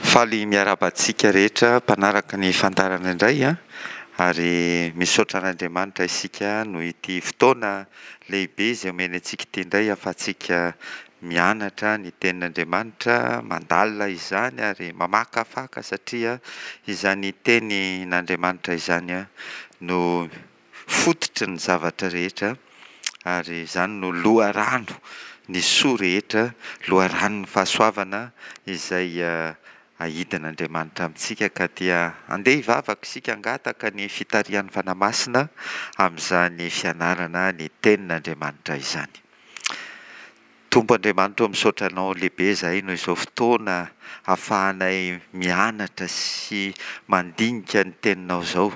Faly miarahaba antsika rehetra mpanaraka ny fandaharana indray an, ary misaotra an'Andriamanitra isika noho ity fotoana lehibe izay omeny antsika ity indray ahafahantsika mianatra ny tenin'Andriamanitra, mandalina izany ary mamakafaka satria izany tenin'Andriamanitra izany no fototry ny zavatra rehetra ary izany no loharano ny soa rehetra, loharanon'ny fahasoavana izay aidin'Andriamanitra amintsika ka dia andeha hivavaka isika hangataka ny fitarihan'ny Fanahy Masina amin'izany fianarana ny tenin'Andriamanitra izany. Tompo Andriamanitra ô misaotra Anao lehibe izahay noho izao fotoana ahafahanay mianatra sy mandinika ny teninao izao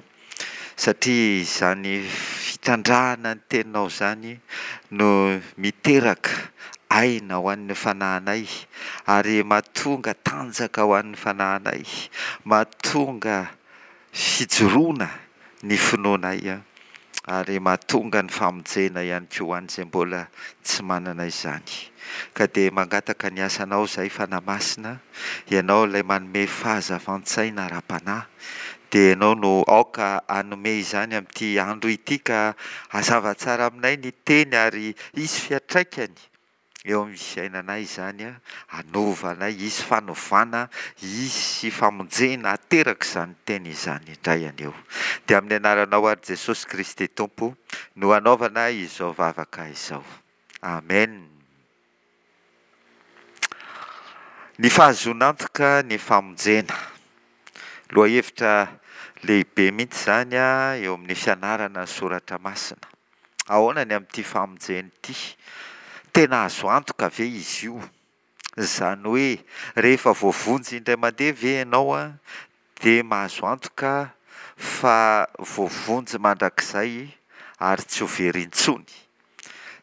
satria izany fitrandrahana ny teninao izany no miteraka aina ho an'ny fanahinay ary mahatonga tanjaka ho an'ny fanahinay, mahatonga fijoroana ny finoanay ary mahatonga ny famonjena ihany koa ho an'izay mbola tsy manana izany. Ka dia mangataka ny asanao izahay Fanahy Masina, Ianao ilay manome fahazavan-tsaina ara-panahy, dia Ianao no aoka hanome izany amin'ity andro ity ka hazava tsara aminay ny teny ary hisy fiantraikany eo amin'ny fiainanay izany, hanova anay, hisy fanovana, hisy famonjena hateraka izany teny izany indray anio. Dia amin'ny anaranao ary Jesosy Kristy Tompo no hanaovana izao vavaka izao. Amen. Ny fahazoana antoka ny famonjena. Lohahevitra lehibe mihitsy izany eo amin'ny fianarana ny soratra masina. Ahoana ny amin'ity famonjena ity? Tena azo antoka ve izy io? Izany hoe rehefa voavonjy indray mandeha ve ianao dia mahazo antoka fa voavonjy mandrakizay ary tsy ho very intsony?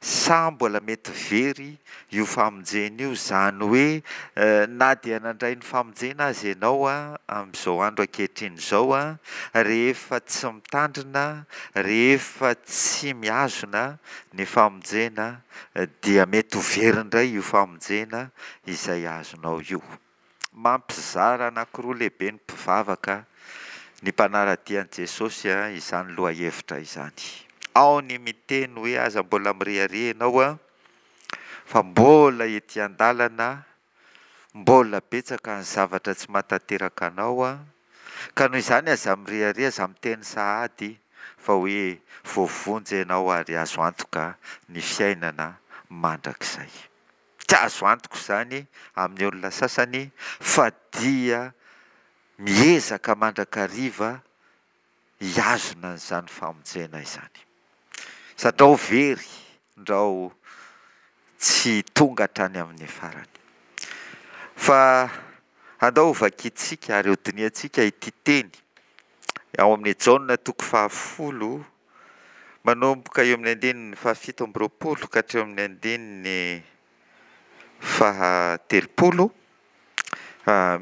Sa mbola mety very io famonjena io, izany hoe na dia nandray ny famonjena aza ianao amin'izao andro ankehitriny izao, rehefa tsy mitandrina, rehefa tsy mihazona ny famonjena dia mety ho very indray io famonjena izay azonao io. Mampizara anankiroa lehibe ny mpivavaka, ny mpanara-dia an'i Jesosy izany lohahevitra izany. Ao ny miteny hoe aza mbola mirehareha ianao fa mbola ety an-dalana, mbola betsaka ny zavatra tsy mahatanteraka anao, ka noho izany aza mirehareha, aza miteny sahady fa hoe voavonjy ianao ary azo antoka ny fiainana mandrakizay. Tsy azo antoka izany amin'ny olona sasany fa dia miezaka mandrakariva hihazona an'izany famonjena izany. Sandrao very, ndrao tsy tonga hatrany amin'ny farany. Fa andao hovakintsika ary hodinihantsika ity teny ao amin'ny Jaona toko fahafolo Manomboka eo amin'ny andininy fahafito amby roapolo ka hatreo amin'ny andininy fahatelopolo,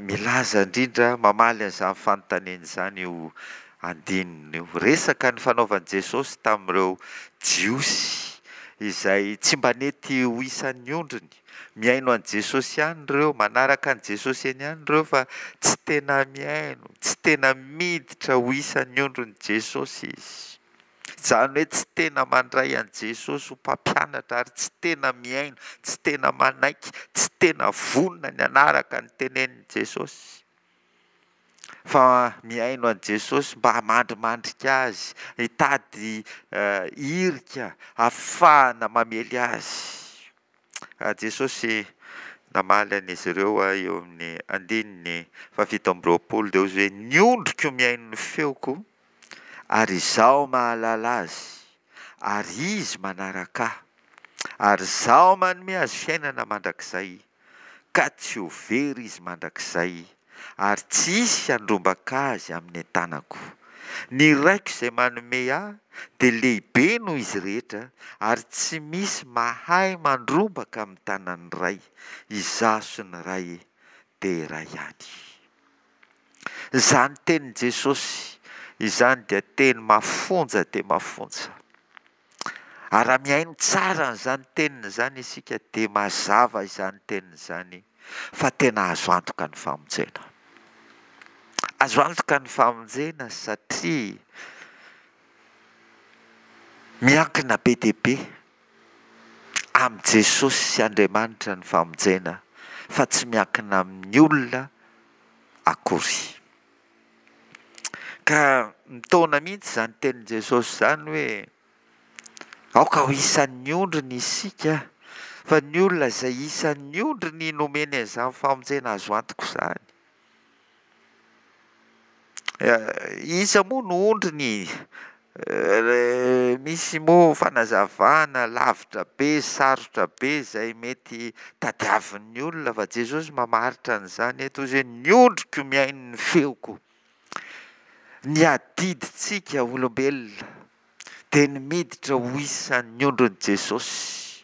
milaza indrindra, mamaly an'izany fanontaniana izany io andininy io. Resaka nifanaovan'i Jesosy tamin'ireo Jiosy izay tsy mba nety ho isan'ny ondriny. Mihaino an'i Jesosy ihany ireo, manaraka an'i Jesosy eny ihany ireo fa tsy tena mihaino, tsy tena miditra ho isan'ny ondrin'i Jesosy izy. Izany hoe tsy tena mandray an'i Jesosy ho mpampianatra ary tsy tena mihaino, tsy tena manaiky, tsy tena vonona ny hanaraka ny tenenin'i Jesosy. Fa mihaino an'i Jesosy mba hamandrimandrika azy, hitady hirika hahafahana mamely azy. Jesosy namaly an'izy ireo eo amin'ny andininy fahafito amby roapolo dia hoy izy hoe, Ny ondriko mihaino ny feoko, ary Izaho mahalala azy, ary izy manaraka Ahy, ary Izaho manome azy fiainana mandrakizay, ka tsy ho very izy mandrakizay, ary tsy hisy handrombaka azy amin'ny tanako. Ny Raiko izay manome Ahy dia lehibe noho izy rehetra, ary tsy misy mahay mandrombaka amin'ny tanan'ny Ray. Izaho sy ny Ray dia iray ihany. Izany tenin'i Jesosy izany dia teny mafonja dia mafonja. Ary raha mihaino tsara an'izany teniny izany isika dia mazava izany teniny izany fa tena azo antoka ny famonjena. Azo antoka ny famonjena satria miankina be dia be amin'i Jesosy sy Andriamanitra ny famonjena fa tsy miankina amin'ny olona akory. Ka mitaona mihitsy izany tenin'i Jesosy izany hoe aoka ho isan'ny ondriny isika fa ny olona izay isan'ny ondriny nomeny an'izany famonjena azo antoka izany. Iza moa no ondriny? Misy moa fanazavana lavitra be, sarotra be izay mety tadiavin'ny olona fa Jesosy mamaritra an'izany eto izy hoe ny ondriko mihaino ny feoko. Ny adidintsika olombelona dia ny miditra ho isan'ny ondrin'i Jesosy,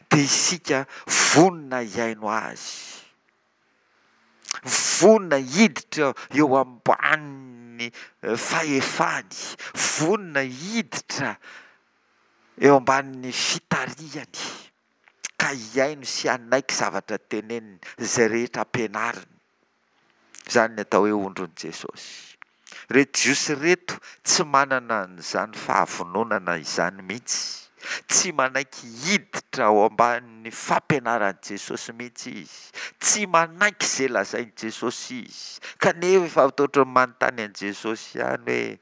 dia isika vonona hihaino Azy. Vonona hiditra eo ambanin'ny fahefany, vonona hiditra eo ambanin'ny fitarihany, ka hihaino sy hanaiky zavatra teneniny, izay rehetra ampianariny. Izany ny atao hoe ondrin'i Jesosy. Ireto Jiosy ireto tsy manana an'izany fahavononana izany mihitsy. Tsy manaiky hiditra ao ambanin'ny fampianaran'i Jesosy mihitsy izy. Tsy manaiky izay lazain'i Jesosy izy. Kanefa ohatran'ny manontany an'i Jesosy ihany hoe,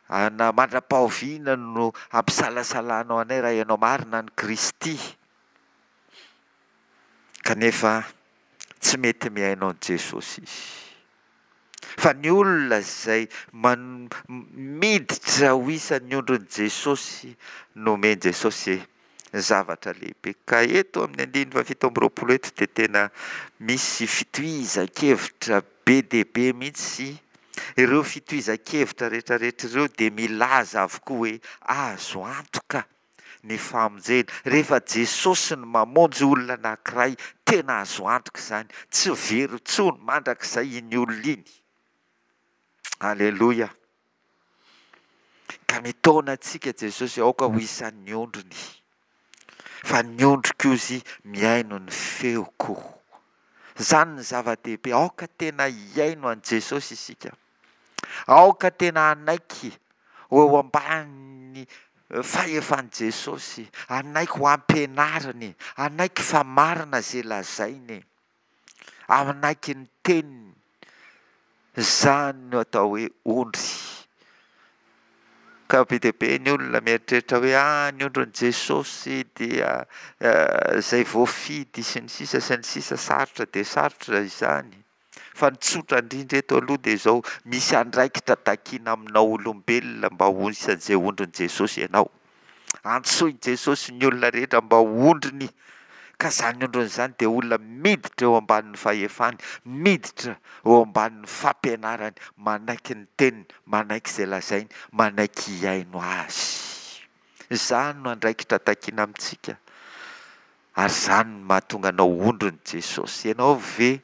Ana mandra-pahoviana no hampisalasalanao anay raha ianao marina ny Kristy? Kanefa tsy mety mihaino an'i Jesosy izy. Fa ny olona izay miditra ho isan'ny ondrin'i Jesosy no omen'i Jesosy zavatra lehibe. Ka eto amin'ny andininy faha 27 eto dia tena misy fitohizan-kevitra be dia be mihitsy. Ireo fitohizan-kevitra rehetrarehetra ireo dia milaza avokoa hoe azo antoka ny famonjena. Rehefa Jesosy no mamonjy olona anankiray, tena azo antoka izany, tsy very intsony mandrakizay iny olona iny. Aleloia. Ka mitaona antsika Jesosy, aoka ho isan'ny ondriny. Fa ny ondriko ozy mihaino ny feoko. Izany ny zava-dehibe, aoka tena hihaino an'i Jesosy isika. Aoka tena hanaiky ho eo ambanin'ny fahefan'i Jesosy, hanaiky ho ampianariny, hanaiky fa marina izay lazainy, hanaiky ny teniny. Izany no atao hoe ondry. Ka be dia be ny olona mieritreritra hoe ah ny ondrin'i Jesosy dia izay voafidy sy ny sisa sy ny sisa, sarotra dia sarotra izany. Fa ny tsotra indrindra eto aloha dia izao, misy andraikitra takiana aminao olombelona mba ho isan'izay ondrin'i Jesosy ianao. Antsoin'i Jesosy ny olona rehetra mba ho ondriny, ka izany ondriny izany dia olona miditra eo ambanin'ny fahefany, miditra eo ambanin'ny fampianarany, manaiky ny teniny, manaiky izay lazainy, manaiky hihaino azy. Izany no andraikitra takiana amintsika. Ary izany no mahatonga anao ondrin'i Jesosy. Ianao ve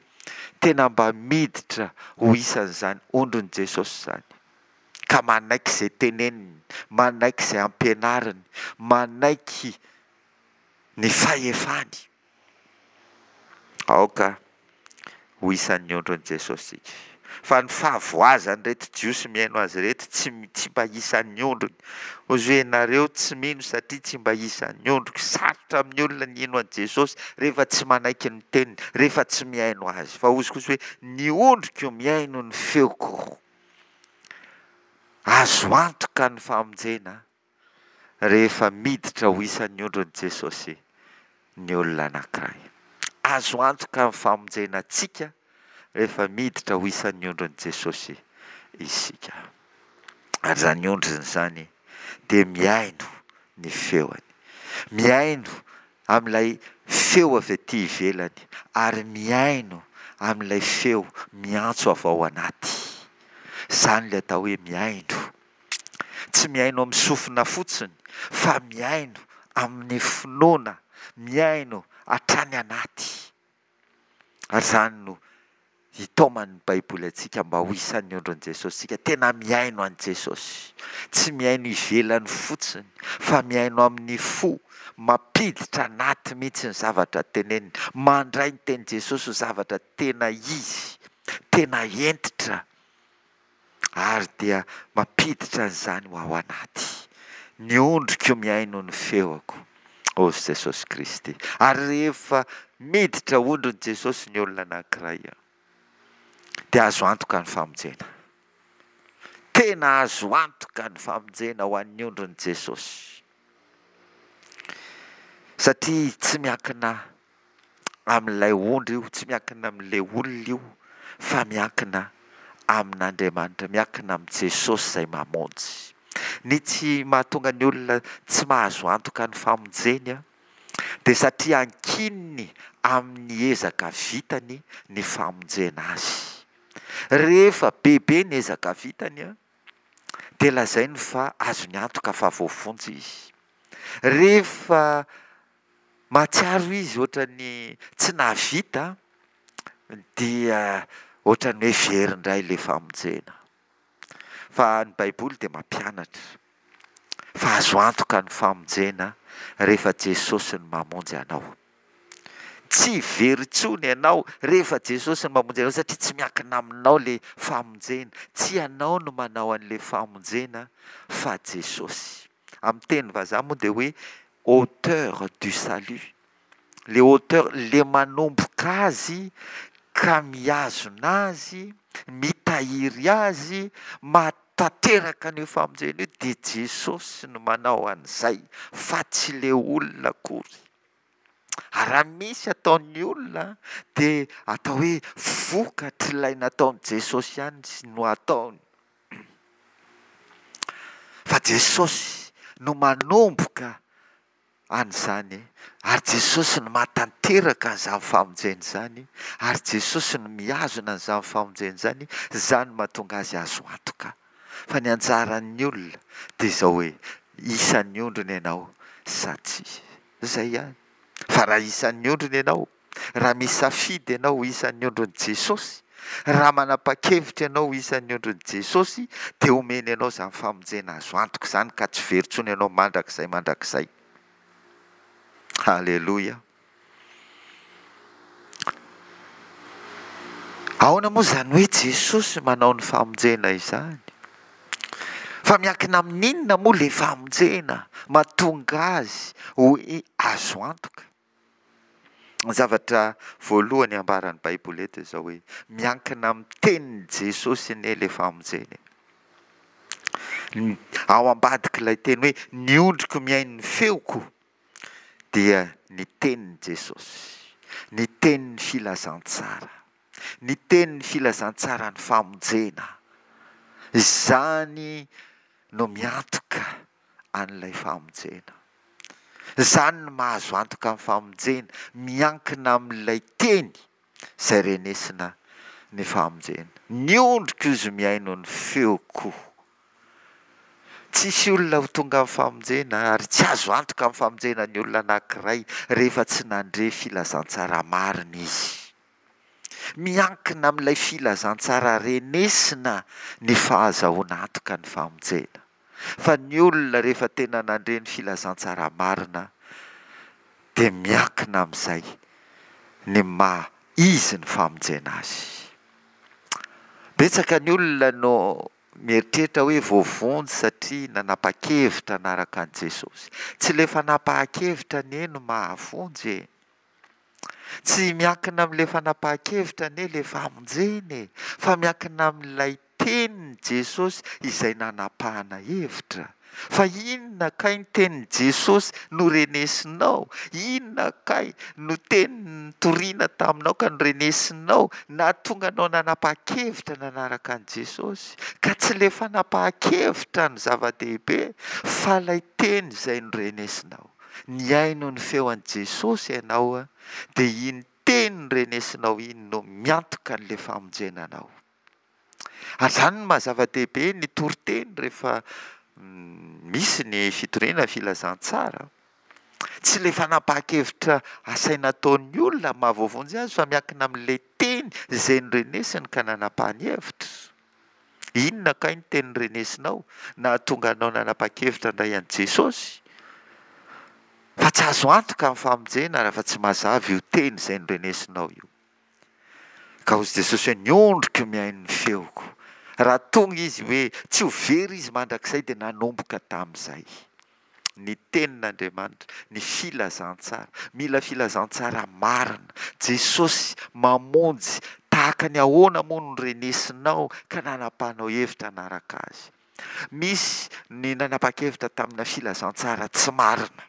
tena mba miditra ho isan'izany ondrin'i Jesosy izany? Ka manaiky izay teneniny, manaiky izay ampianariny, manaiky ny fahefany. Aoka ho isan'ny ondrin'i Jesosy isika. Fa ny fahavoazan'ireto Jiosy mihaino azy ireto tsy tsy mba isan'ny ondriny. Hozy hoe ianareo tsy mino satria tsy mba isan'ny ondriko. Sarotra amin'ny olona ny hino an'i Jesosy rehefa tsy manaiky ny teniny, rehefa tsy mihaino azy. Fa hozy kosa hoe ny ondriko mihaino ny feoko. Azo antoka ny famonjena rehefa miditra ho isan'ny ondrin'i Jesosy ny olona anankiray. Azo antoka ny famonjena antsika rehefa miditra ho isan'ny ondrin'i Jesosy isika. Ary izany ondriny izany dia mihaino ny feony. Mihaino amin'ilay feo avy aty ivelany ary mihaino amin'ilay feo miantso avy ao anaty. Izany ilay atao hoe mihaino. Tsy mihaino amin'ny sofina fotsiny fa mihaino amin'ny finoana, mihaino hatrany anaty. Ary izany no itaoman'ny Baiboly antsika mba ho isan'ny ondrin'i Jesosy isika. Tena mihaino an'i Jesosy. Tsy mihaino ivelany fotsiny fa mihaino amin'ny fo, mampiditra anaty mihitsy ny zavatra teneniny, mandray ny tenin'i Jesosy ho zavatra tena izy, tena hentitra. Ary dia mampiditra an'izany ho ao anaty. Ny ondriko mihaino ny feoko, hozy Jesosy Kristy. Ary rehefa miditra ondrin'i Jesosy ny olona anankiray, dia azo antoka ny famonjena. Tena azo antoka ny famonjena ho an'ny ondrin'i Jesosy. Satria tsy miankina amin'ilay ondry io, tsy miankina amin'ilay olona io, fa miankina amin'Andriamanitra, miankina amin'i Jesosy izay mamonjy. Ny tsy mahatonga ny olona tsy mahazo antoka ny famonjeny dia satria ankininy amin'ny ezaka vitany ny famonjena azy. Rehefa bebe ny ezaka vitany dia lazainy fa azony antoka fa voavonjy izy. Rehefa Mahatsiaro izy ohatran'ny tsy nahavita dia ohatran'ny hoe very indray ilay famonjena. Fa ny Baiboly dia mampianatra fa azo antoka ny famonjena rehefa Jesosy no mamonjy anao. Tsy very intsony ianao rehefa Jesosy no mamonjy anao satria tsy miankina aminao ilay famonjena. Tsy ianao no manao an'ilay famonjena fa Jesosy. Amin'ny teny vazaha moa dia hoe auteur du salut, le auteur, le manomboka azy ka mihazona azy, mitahiry azy, mahatanteraka an'io famonjena io dia Jesosy no manao an'izay fa tsy le olona akory. Ary raha misy ataon'ny olona dia atao hoe vokatr'ilay nataon'i Jesosy ihany no ataony. Fa Jesosy no manomboka an'izany, ary Jesosy no mahatanteraka an'izany famonjena izany, ary Jesosy no mihazona an'izany famonjena izany, izany no mahatonga azy azo antoka. Fa ny anjaran'ny olona dia izao hoe, isan'ny ondriny ianao sa tsia. Izay ihany. Fa raha isan'ny ondriny ianao, raha misafidy ianao ho isan'ny ondrin'i Jesosy, raha manapa-kevitra ianao ho isan'ny ondrin'i Jesosy, dia omeny anao izany famonjena azo antoka izany ka tsy very intsony ianao mandrakizay mandrakizay. Haleloia. Ahoana moa izany hoe Jesosy manao ny famonjena izany? Fa miankina amin'inona moa ilay famonjena mahatonga azy ho azo antoka? Ny zavatra voalohany ambaran'ny Baiboly eto dia izao hoe, miankina amin'ny tenin'i Jesosy anie ilay famonjena e. Ao ambadik'ilay teny hoe ny ondriko mihaino ny feoko dia ny tenin'i Jesosy, ny tenin'ny filazantsara, ny tenin'ny filazantsaran'ny famonjena. Izany no miantoka an'ilay famonjena. Izany no mahazo antoka ny famonjena, miankina amin'ilay teny izay renesina ny famonjena. Ny ondriko izy mihaino ny feoko. Tsisy olona ho tonga amin'ny famonjena ary tsy azo antoka amin'ny famonjena ny olona anankiray rehefa tsy nandre filazantsara marina izy. Miankina amin'ilay filazantsara renesina ny fahazahoana antoka ny famonjena. Fa ny olona rehefa tena nandre ny filazantsara marina dia miankina amin'izay ny maha izy ny famonjena azy. Betsaka ny olona no mieritreritra hoe voavonjy satria nanapa-kevitra hanaraka an'i Jesosy. Tsy ilay fanapahan-kevitra anie no mahavonjy e! Tsy miankina amin'ilay fanapahan-kevitra anie ilay famonjena e! Fa miankina amin'ilay tenin'i Jesosy izay nanapahana hevitra. Fa inona kay ny tenin'i Jesosy norenesinao? Inona kay no teny nitoriana taminao ka norenesinao nahatonga anao nanapa-kevitra nanaraka an'i Jesosy? Ka tsy ilay fanapahan-kevitra no zava-dehibe fa ilay teny izay norenesinao. Nihaino ny feo an'i Jesosy ianao dia iny teny norenesinao iny no miantoka an'ilay famonjena anao. Ary izany no maha zava-dehibe ny toriteny rehefa misy ny fitoriana filazantsara. Tsy ilay fanapahan-kevitra asaina ataon'ny olona maha voavonjy azy fa miankina amin'ilay teny izay norenesiny ka nanapahany hevitra. Inona kay ny teny norenesinao nahatonga anao nanapa-kevitra handray an'i Jesosy? Fa tsy azo antoka ny famonjena raha tsy mazava io teny izay norenesinao io. Ka hozy Jesosy hoe, Ny ondriko mihaino ny feoko. Raha tonga izy hoe tsy ho very izy mandrakizay dia nanomboka tamin'izay. Ny tenin'Andriamanitra, ny filazantsara. Mila filazantsara marina. Jesosy mamonjy tahaka ny ahoana moa no renesinao ka nanapahanao hevitra hanaraka Azy? Misy ny nanapa-kevitra tamina filazantsara tsy marina.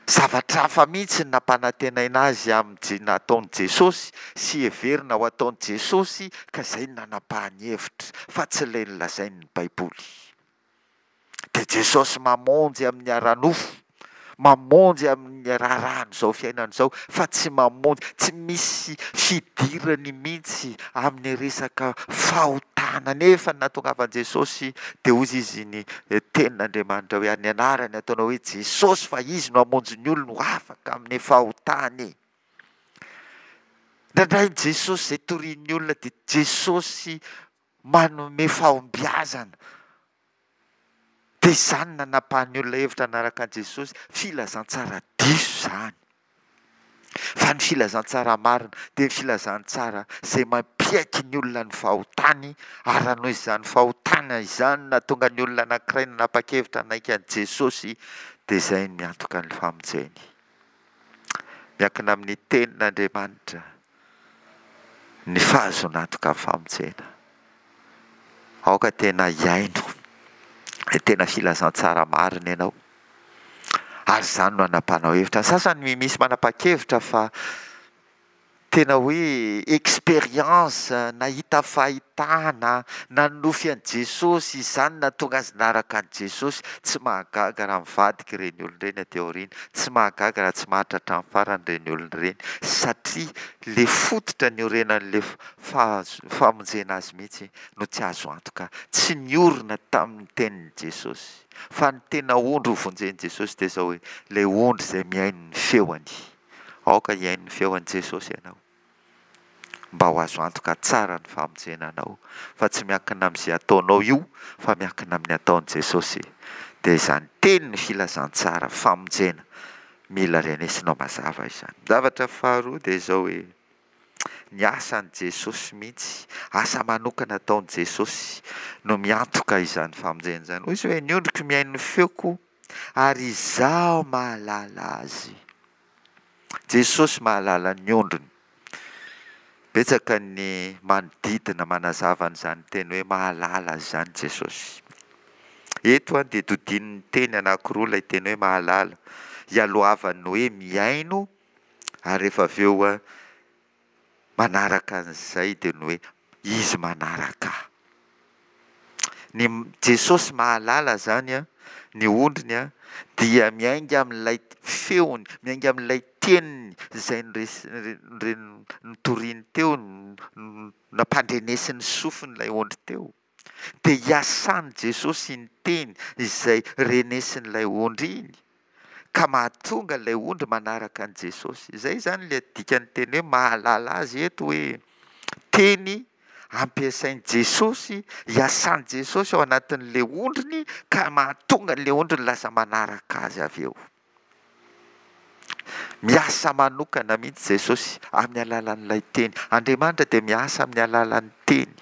Zavatra hafa mihitsy ny nampanantenaina azy amin'ny nataon'i Jesosy sy heverina ho ataon'i Jesosy ka izay no nanapahany hevitra fa tsy ilay nolazain'ny Baiboly. Dia Jesosy mamonjy amin'ny ara-nofo, mamonjy amin'ny raharahan'izao fiainana izao, fa tsy mamonjy, tsy misy fidirany mihitsy amin'ny resaka fahotana. Nefa ny nahatongavan'i Jesosy dia hozy izy ny tenin'Andriamanitra hoe, ary ny anarany ataonao hoe Jesosy fa Izy no hamonjy ny olony ho afaka amin'ny fahotany. Indraindray ny Jesosy izay torian'ny olona dia Jesosy manome fahombiazana. Dia izany no nanapahan'ny olona hevitra hanaraka an'i Jesosy. Filazantsara diso izany. Fa ny filazantsara marina dia ny filazantsara izay mampiaiky ny olona ny fahotany, ary raha noho izany fahotana izany no nahatonga ny olona anankiray nanapa-kevitra hanaiky an'i Jesosy, dia izay no miantoka ny famonjeny. Miankina amin'ny tenin'Andriamanitra ny fahazoana antoka ny famonjena. Aoka tena hihaino ny tena filazantsara marina ianao. Ary izany no anapanao hevitra. Ny sasany misy manapa-kevitra fa tena hoe expérience, nahita fahitana, nanonofy an'i Jesosy, izany no nahatonga azy naraka an'i Jesosy. Tsy mahagaga raha mivadika ireny olona ireny aty aoriana. Tsy mahagaga raha tsy maharitra hatramin'ny farany ireny olona ireny satria ilay fototra niorenan'ilay famonjena azy mihitsy no tsy azo antoka. Tsy niorina tamin'ny tenin'i Jesosy. Fa ny tena ondry ho vonjen'i Jesosy dia izao hoe, ilay ondry izay mihaino ny feony. Aoka hihaino ny feon'i Jesosy ianao. Mba ho azo antoka tsara ny famonjena anao, fa tsy miankina amin'izay ataonao io, fa miankina amin'ny ataon'i Jesosy. Dia izany tenin'ny filazantsara famonjena mila renesinao mazava izany. Zavatra faharoa dia izao hoe, ny asan'i Jesosy mihitsy, asa manokana ataon'i Jesosy no miantoka izany famonjena izany. Hoy izy hoe, ny ondriko mihaino ny feoko ary izaho mahalala azy. Jesosy mahalala ny ondriny. Betsaka ny manodidina manazava an'izany teny hoe mahalala izany Jesosy. Eto dia dodinin'ny teny anankiroa ilay teny hoe mahalala. Ialohavan'ny hoe mihaino ary rehefa avy eo manaraka an'izay dia ny hoe izy manaraka ahy. Ny Jesosy mahalala izany an, ny ondriny an, dia miainga amin'ilay feony, miainga amin'ilay teniny izay notoriny teo, nampandrenesin'ny sofiny ilay ondry teo. Dia iasan'i Jesosy iny teny izay renesin'ilay ondry iny, ka mahatonga ilay ondry manaraka an'i Jesosy. Izay izany ilay dikan'ny teny hoe mahalala azy eto hoe teny ampiasain'i Jesosy, iasan'i Jesosy ao anatin'ilay ondriny ka mahatonga an'ilay ondriny lasa manaraka azy avy eo. Miasa manokana mihitsy Jesosy amin'ny alalan'ilay teny. Andriamanitra dia miasa amin'ny alalan'ny teny.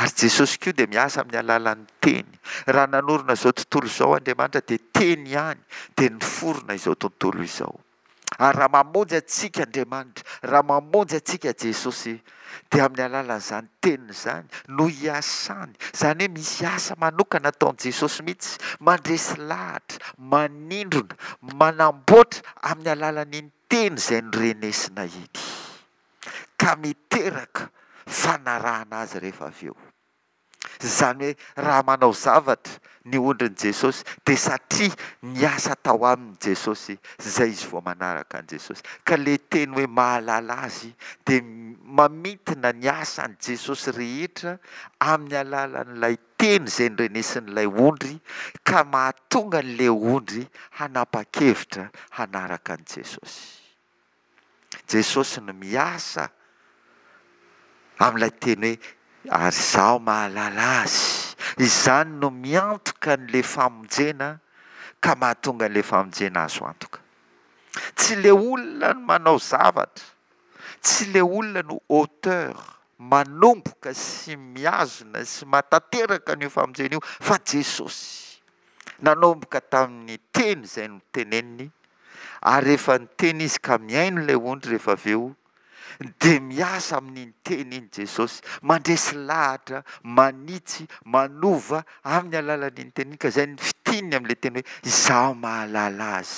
Ary Jesosy koa dia miasa amin'ny alalan'ny teny. Raha nanorina izao tontolo izao Andriamanitra dia teny ihany dia niforona izao tontolo izao. Ary raha mamonjy antsika Andriamanitra, raha mamonjy antsika Jesosy, dia amin'ny alalan'izany teniny izany no iasany, izany hoe misy asa manokana ataon'i Jesosy mihitsy, mandresy lahatra, manindrona, manamboatra amin'ny alalan'iny teny izay norenesina iny, ka miteraka fanarahana azy rehefa avy eo. Izany hoe raha manao zavatra ny ondrin'i Jesosy dia satria niasa tao aminy Jesosy izay izy vao manaraka an'i Jesosy. Ka ilay teny hoe mahalala azy dia mamintina ny asan'i Jesosy rehetra amin'ny alalan'ilay teny izay norenesin'ilay ondry ka mahatonga an'ilay ondry hanapa-kevitra hanaraka an'i Jesosy. Jesosy no miasa amin'ilay teny hoe ary izaho mahalala azy. Izany no miantoka an'ilay famonjena ka mahatonga an'ilay famonjena azo antoka. Tsy ilay olona no manao zavatra, tsy ilay olona no auteur. manomboka sy mihazona sy mahatanteraka an'io famonjena io fa Jesosy. Nanomboka tamin'ny teny izay noteneniny, ary rehefa niteny izy ka mihaino ilay ondry rehefa avy eo, dia miasa amin'iny teny iny Jesosy, mandresy lahatra, manitsy, manova amin'ny alalan'iny teny iny, ka izay ny fitininy amin'ilay teny hoe izaho mahalala azy.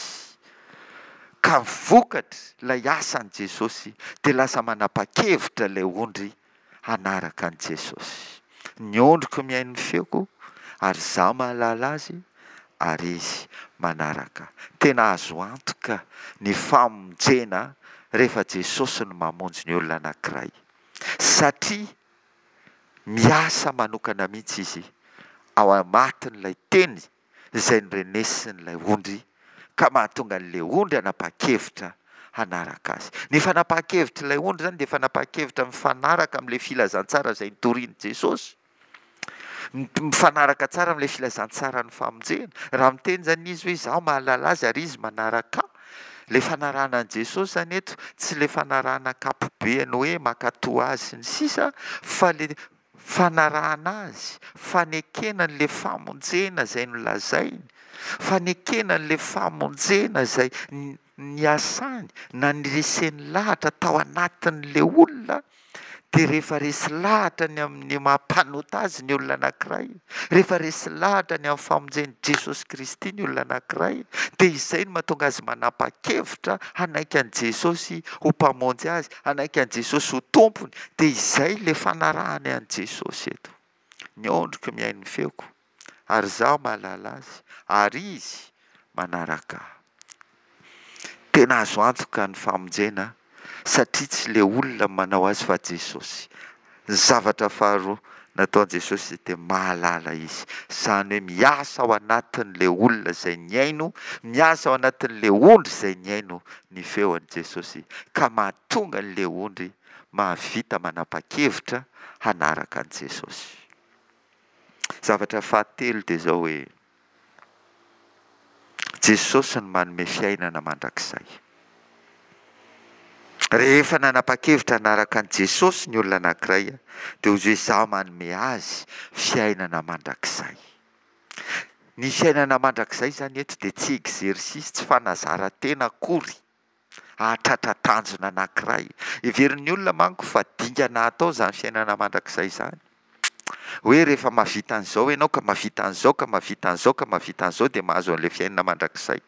Ka vokatry ilay asan'i Jesosy dia lasa manapa-kevitra ilay ondry hanaraka an'i Jesosy. Ny ondriko mihaino ny feoko ary izaho mahalala azy ary izy manaraka ahy. Tena azo antoka ny famonjena rehefa Jesosy no mamonjy ny olona anankiray satria miasa manokana mihitsy Izy ao amatin'ilay teny izay norenesin'ilay ondry ka mahatonga an'ilay ondry hanapa-kevitra hanaraka azy. Ny fanapahan-kevitr'ilay ondry izany dia fanapahan-kevitra mifanaraka amin'ilay filazantsara izay notorian'i Jesosy. Mifanaraka tsara amin'ilay filazantsaran'ny famonjena. Raha miteny izany izy hoe izaho mahalala azy ary izy manaraka ahy, ilay fanarahana an'i Jesosy izany eto tsy ilay fanarahana ankapobeny hoe mankatò azy sy ny sisa fa ilay fanarahana azy, fanekena an'ilay famonjena izay nolazainy, fanekena an'ilay famonjena izay niasany na nireseny lahatra tao anatin'ilay olona, dia rehefa resy lahatra ny amin'ny maha mpanota azy ny olona anankiray, rehefa resy lahatra ny amin'ny famonjen'i Jesosy Kristy ny olona anankiray, dia izay no mahatonga azy manapa-kevitra hanaiky an'i Jesosy ho Mpamonjy azy, hanaiky an'i Jesosy ho Tompony, dia izay ilay fanarahany an'i Jesosy eto. Ny ondriko mihaino ny feoko, ary izaho mahalala azy, ary izy manaraka ahy. Tena azo antoka ny famonjena satria tsy ilay olona manao azy fa Jesosy. Ny zavatra faharoa nataon'i Jesosy dia mahalala Izy. Izany hoe miasa ao anatin'ilay olona izay nihaino, miasa ao anatin'ilay ondry izay nihaino ny feon'i Jesosy ka mahatonga an'ilay ondry mahavita manapa-kevitra hanaraka an'i Jesosy. Zavatra fahatelo dia izao hoe. Jesosy no manome fiainana mandrakizay. Rehefa nanapa-kevitra hanaraka an'i Jesosy ny olona anankiray dia hoy izy hoe izaho manome azy fiainana mandrakizay. Ny fiainana mandrakizay izany eto dia tsy exercice, tsy fanazaran-tena akory. hahatratra tanjona anankiray. Heverin'ny olona manko fa dingana atao izany fiainana mandrakizay izany. Hoe rehefa mahavita an'izao ianao ka mahavita an'izao ka mahavita an'izao ka mahavita an'izao dia mahazo an'ilay fiainana mandrakizay.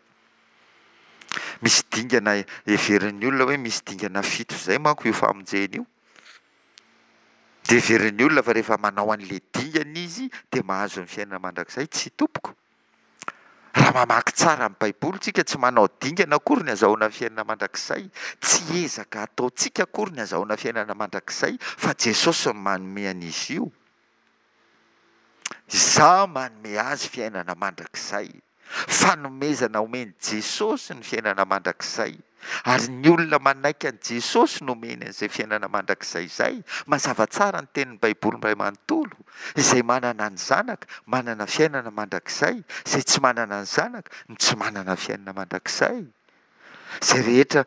Misy dingana heverin'ny olona hoe misy dingana fito izay manko io famonjena io. Dia heverin'ny olona fa rehefa manao an'ilay dingana izy dia mahazo ny fiainana mandrakizay. Tsia tompoko. Raha mamaky tsara ny Baiboly tsika, tsy manao dingana akory ny azahoana fiainana mandrakizay, tsy ezaka ataontsika akory ny azahoana fiainana mandrakizay, fa Jesosy no manome an'izy io. Izaho manome azy fiainana mandrakizay. Fanomezana omen'i Jesosy ny fiainana mandrakizay. Ary ny olona manaiky an'i Jesosy no omeny an'izay fiainana mandrakizay izay. Mazava tsara ny tenin'ny Baiboly iray manontolo. Izay manana ny Zanaka, manana fiainana mandrakizay. Izay tsy manana ny Zanaka, no tsy manana fiainana mandrakizay. Izay rehetra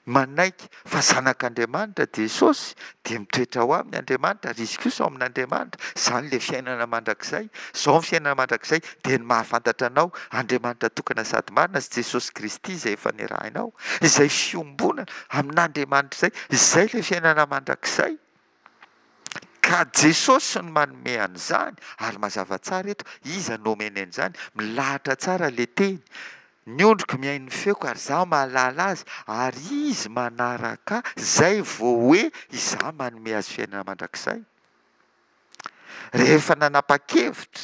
manaiky fa Zanak'Andriamanitra Jesosy, dia mitoetra ao aminy Andriamanitra, ary izy kosa ao amin'Andriamanitra. Izany ilay fiainana mandrakizay. Izao ny fiainana mandrakizay, dia ny mahafantatra Anao, Andriamanitra tokana sady marina, sy Jesosy Kristy izay efa nirahinao. Izay fiombonana amin'Andriamanitra izay, izay ilay fiainana mandrakizay. Ka Jesosy no manome an'izany, ary mazava tsara eto, iza no omeny an'izany? Milahatra tsara ilay teny. Ny ondriko mihaino ny feoko ary izaho mahalala azy, ary izy manaraka ahy, izay vao hoe izaho manome azy fiainana mandrakizay. Rehefa nanapa-kevitra,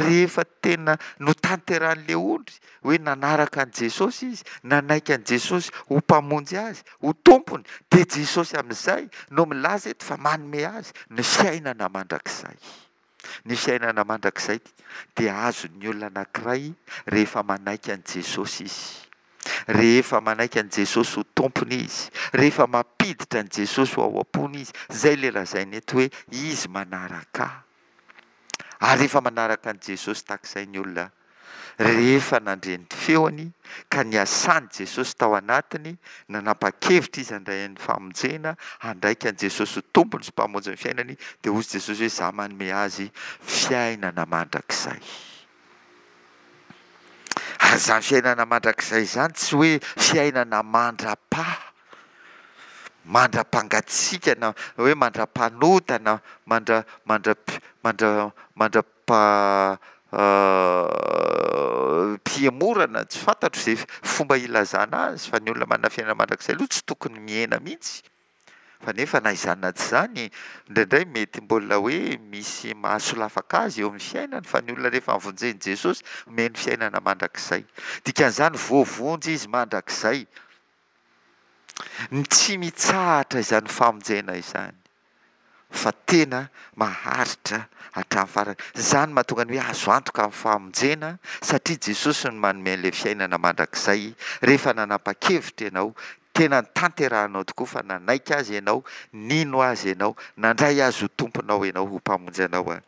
rehefa tena notanterahin'ilay ondry hoe nanaraka an'i Jesosy izy, nanaiky an'i Jesosy ho Mpamonjy azy, ho Tompony, dia Jesosy amin'izay no milaza eto fa manome azy ny fiainana mandrakizay. Ny fiainana mandrakizay dia azon'ny olona anankiray rehefa manaiky an'i Jesosy izy. Rehefa manaiky an'i Jesosy ho Tompony izy. Rehefa mampiditra an'i Jesosy ho ao am-pony izy. Izay ilay lazaina eto hoe izy manaraka ahy. Ary rehefa manaraka an'i Jesosy tahaka izay ny olona. Rehefa nandre ny feony ka niasan'i Jesosy tao anatiny, nanapa-kevitra izy handray ny famonjena, handraika an'i Jesosy ho Tompony sy Mpamonjy ny fiainany, dia hozy Jesosy hoe, Izaho manome azy fiainana mandrakizay. Ary izany fiainana mandrakizay izany tsy hoe fiainana mandra-paha, mandra-pangatsiaka na hoe mandra-panota na mandra mandra mandra mandra-pa pihemorana, tsy fantatro izay fomba ilazana azy fa ny olona manana fiainana mandrakizay aloha tsy tokony mihena mihitsy. Fa nefa na izany na tsy izany, indraindray mety mbola hoe misy mahasolafaka azy eo amin'ny fiainany fa ny olona rehefa vonjen'i Jesosy omeny fiainana mandrakizay. Dikan'izany voavonjy izy mandrakizay. Ny tsy mitsahatra izany famonjena izany fa tena maharitra hatramin'ny farany. Izany mahatonga ny hoe azo antoka ny famonjena satria Jesosy no manome an'ilay fiainana mandrakizay rehefa nanapa-kevitra ianao Tena notanterahanao tokoa fa nanaiky Azy ianao, nino Azy ianao, nandray Azy ho Tomponao ianao, ho Mpamonjy anao an.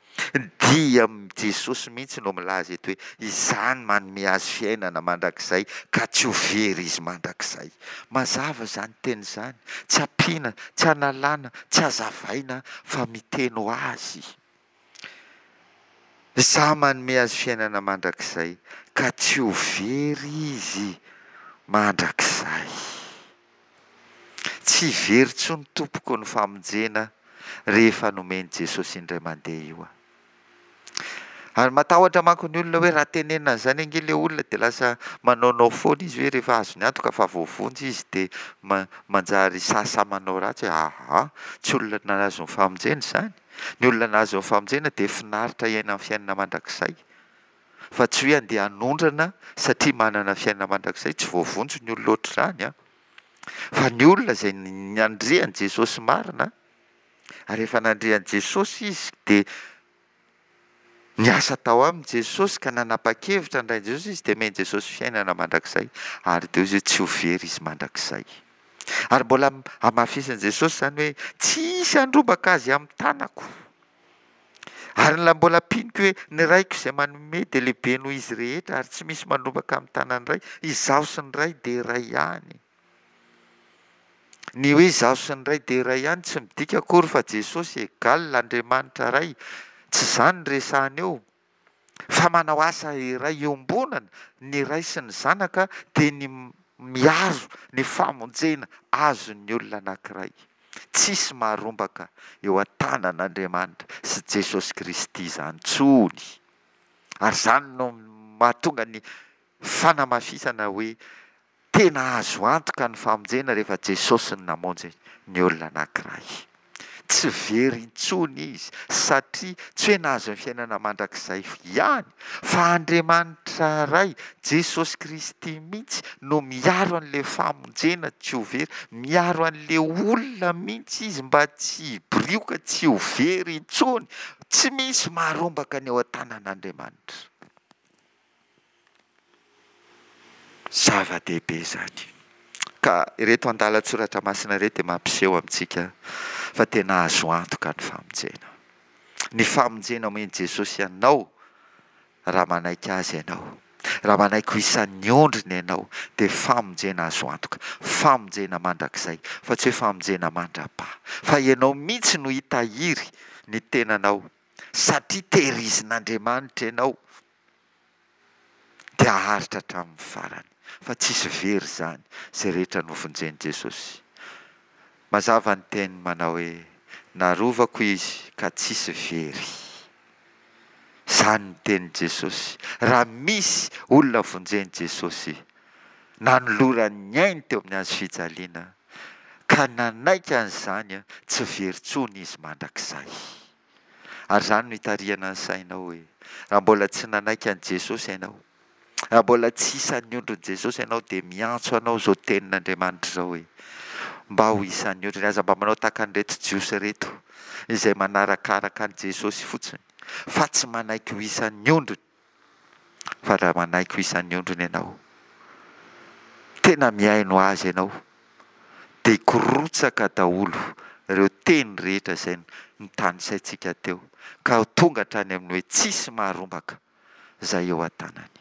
Dia Jesosy mihitsy no milaza eto hoe, Izaho no manome azy fiainana mandrakizay ka tsy ho very izy mandrakizay. Mazava izany teny izany, tsy ampiana, tsy analana, tsy hazavaina fa miteny ho azy. Izaho manome azy fiainana mandrakizay, ka tsy ho very izy mandrakizay. Tsy very intsony tompoko ny famonjena rehefa nomen'i Jesosy indray mandeha io an. Ary matahotra manko ny olona hoe raha tenenina an'izany ange ilay olona dia lasa manaonao foana izy hoe rehefa azony antoka fa voavonjy izy dia manjary sahisahy manao ratsy hoe aa tsy olona nahazo ny famonjena izany. Ny olona nahazo ny famonjena dia finaritra hiaina ny fiainana mandrakizay, fa tsy hoe handeha hanondrana satria manana fiainana mandrakizay, tsy voavonjy ny olona ohatr'izany an! Fa ny olona izay nandre an'i Jesosy marina, ary efa nandre an'i Jesosy izy dia niasa tao aminy Jesosy ka nanapa-kevitra handray an'i Jesosy izy dia omen'i Jesosy fiainana mandrakizay, ary dia hoy izy hoe tsy ho very izy mandrakizay. Ary mbola hamafisin'i Jesosy izany hoe, Tsy hisy handrombaka azy amin'ny tanako. Ary ny mbola ampianiko hoe, Ny Raiko izay manome dia lehibe noho izy rehetra, ary tsy misy mandrombaka amin'ny tanan'ny Ray. Izaho sy ny Ray dia iray ihany. Ny hoe izaho sy ny Ray dia iray ihany tsy midika akory fa Jesosy égal Andriamanitra Ray. Tsy izany no resahina eo. Fa manao asa iray iombonana ny Ray sy ny Zanaka dia ny miaro ny famonjena azon'ny olona anankiray. Tsisy maharombaka eo an-tanan'Andriamanitra sy Jesosy Kristy izany intsony. Ary izany no mahatonga ny fanamafisana hoe Tena azo antoka ny famonjena rehefa Jesosy no namonjy ny olona anankiray. Tsy very intsony izy satria tsy hoe nahazo ny fiainana mandrakizay ihany fa Andriamanitra Ray, Jesosy Kristy mihitsy no miaro an'ilay famonjena tsy ho very, miaro an'ilay olona mihitsy izy mba tsy hibirioka, tsy ho very intsony. Tsy misy maharombaka ny eo an-tanan'Andriamanitra. Zava-dehibe izany. Ka ireto andalan-tsoratra masina ireto dia mampiseho amintsika fa tena azo antoka ny famonjena. Ny famonjena omen'i Jesosy anao raha manaiky Azy ianao, raha manaiky ho isan'ny ondriny ianao dia famonjena azo antoka, famonjena mandrakizay fa tsy hoe famonjena mandra-paha. Fa ianao mihitsy no hitahiry ny tenanao satria tehirizin'Andriamanitra ianao. dia haharitra hatramin'ny farany, fa tsisy very izany izay rehetra novonjen'i Jesosy. Mazava ny teniny manao hoe, Narovako izy ka tsisy very. Izany ny tenin'i Jesosy. Raha misy olona vonjen'i Jesosy, nanolorany ny ainy teo amin'ny hazo fijaliana, ka nanaiky an'izany, tsy very intsony izy mandrakizay. Ary izany no itarihana ny sainao hoe, raha mbola tsy nanaiky an'i Jesosy ianao, raha mbola tsy isan'ny ondrin'i Jesosy ianao, dia miantso anao izao tenin'Andriamanitra izao hoe, mba ho isan'ny ondriny. Aza mba manao tahaka an'ireto Jiosy ireto, izay manarakaraka an'i Jesosy fotsiny, fa tsy manaiky ho isan'ny ondriny. Fa raha manaiky ho isan'ny ondriny ianao, tena mihaino Azy ianao, dia hikorotsaka daholo ireo teny rehetra izay notanisaintsika teo, ka ho tonga hatrany amin'ny hoe tsisy maharombaka izay eo an-tanany.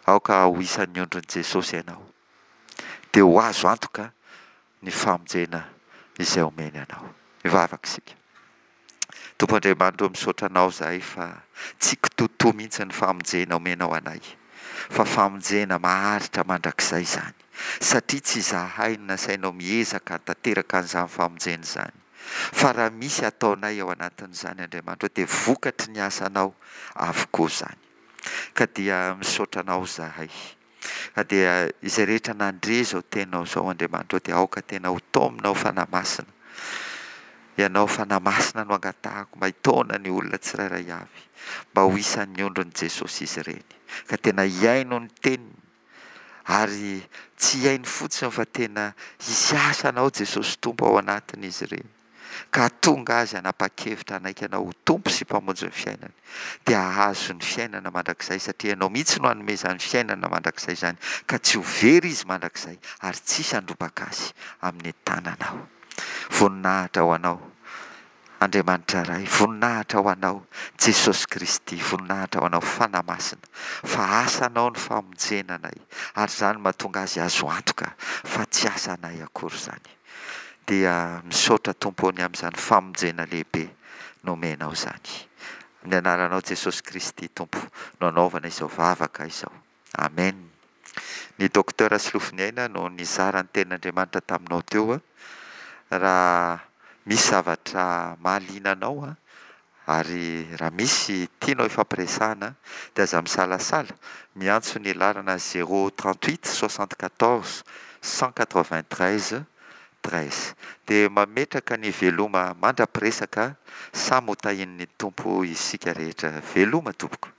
Aoka ho isan'ny ondrin'i Jesosy ianao, dia ho azo antoka ny famonjena izay omeny anao. Hivavaka isika. Tompo Andriamanitra ô, misaotra Anao izahay fa tsy kitoatoa mihitsy ny famonjena omenao anay, fa famonjena maharitra mandrakizay izany, satria tsy izahay no nasainao miezaka hahatanteraka an'izany famonjena izany, fa raha misy ataonay ao anatin'izany Andriamanitra ô, dia vokatry ny asanao avokoa izany. Ka dia misaotra Anao izahay. Ka dia izay rehetra nandre izao teninao izao Andriamanitra ô dia aoka tena ho taomina ho Fanahy Masina. Ianao Fanahy Masina no angatahako mba hitaona ny olona tsirairay avy mba ho isan'ny ondrin'i Jesosy izy ireny. Ka tena hihaino ny teniny ary tsy hihaino fotsiny fa tena hisy asanao Jesosy Tompo ao anatin'izy ireny. ka hahatonga azy hanapa-kevitra hanaiky Anao ho Tompo sy Mpamonjy ny fiainany, dia hahazo ny fiainana mandrakizay, satria Ianao mihitsy no hanome izany fiainana mandrakizay izany, ka tsy ho very izy mandrakizay, ary tsy hisy handrobaka azy amin'ny tananao. Voninahitra ho Anao, Andriamanitra Ray, voninahitra ho Anao, Jesosy Kristy, voninahitra ho Anao, Fanahy Masina, fa asanao ny famonjena anay, ary izany mahatonga azy azo antoka fa tsy asanay akory izany. Dia misaotra Tompo ô ny amin'izany famonjena lehibe nomenao izany. Amin'ny anaranao Jesosy Kristy Tompo no anaovana izao vavaka izao. Amen. Ny Docteur Solofoniaina no nizara ny tenin'Andriamanitra taminao teo. Raha misy zavatra mahaliana anao Ary raha misy tianao hifampiresahana dia aza misalasala miantso ny laharana zéro 38 74 193 13. Dia mametraka ny veloma mandra-piresaka, samy ho tahian'ny Tompo isika rehetra. Veloma tompoko.